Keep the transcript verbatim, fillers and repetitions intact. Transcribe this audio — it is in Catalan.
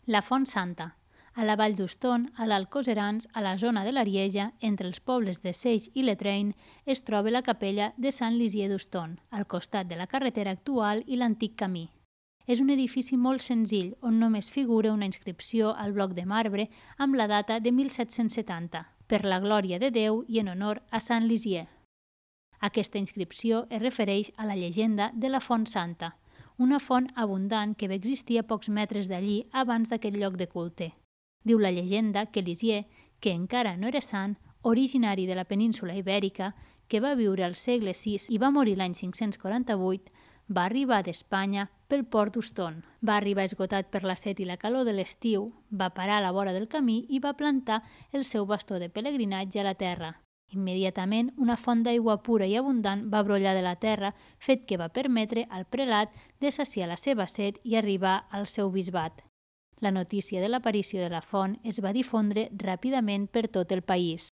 La Font Santa. A la Vall d'Uston, a l'Alt Coserans, a la zona de l'Arieja, entre els pobles de Seix i Letrain, es troba la capella de Sant Lisier d'Uston, al costat de la carretera actual i l'antic camí. És un edifici molt senzill, on només figura una inscripció al bloc de marbre amb la data de mil set-cents setanta, per la glòria de Déu i en honor a Sant Lisier. Aquesta inscripció es refereix a la llegenda de la Font Santa, una font abundant que va existir a pocs metres d'allí abans d'aquest lloc de culte. Diu la llegenda que Lisier, que encara no era sant, originari de la península ibèrica, que va viure al segle sis i va morir l'any cinc-cents quaranta-vuit, va arribar d'Espanya pel port d'Uston. Va arribar esgotat per la set i la calor de l'estiu, va parar a la vora del camí i va plantar el seu bastó de pelegrinatge a la terra. Immediatament, una font d'aigua pura i abundant va brollar de la terra, fet que va permetre al prelat de saciar la seva set i arribar al seu bisbat. La notícia de l'aparició de la font es va difondre ràpidament per tot el país.